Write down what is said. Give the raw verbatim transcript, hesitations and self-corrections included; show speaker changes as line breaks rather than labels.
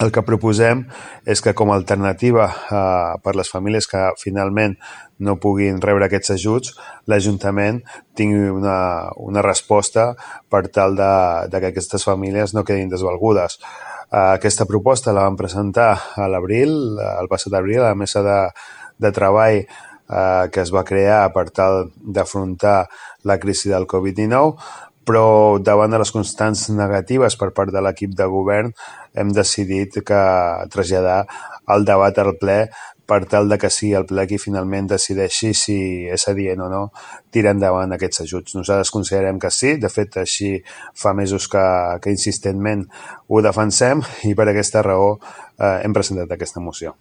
El que proposem és que com a alternativa eh, per les famílies que finalment no puguin rebre aquests ajuts, l'Ajuntament tingui una, una resposta per tal de, de que aquestes famílies no quedin desvalgudes. Uh, aquesta proposta la vam presentar a l'abril, el passat abril, a la mesa de, de treball uh, que es va crear per tal d'afrontar la crisi del covid dinou, però davant de les constants negatives per part de l'equip de govern hem decidit que traslladar el debat al ple per tal de que sigui el ple qui finalment decideixi si és adient o no tirar endavant aquests ajuts. Nosaltres considerem que sí, de fet així fa mesos que, que insistentment ho defensem i per aquesta raó eh, hem presentat aquesta moció.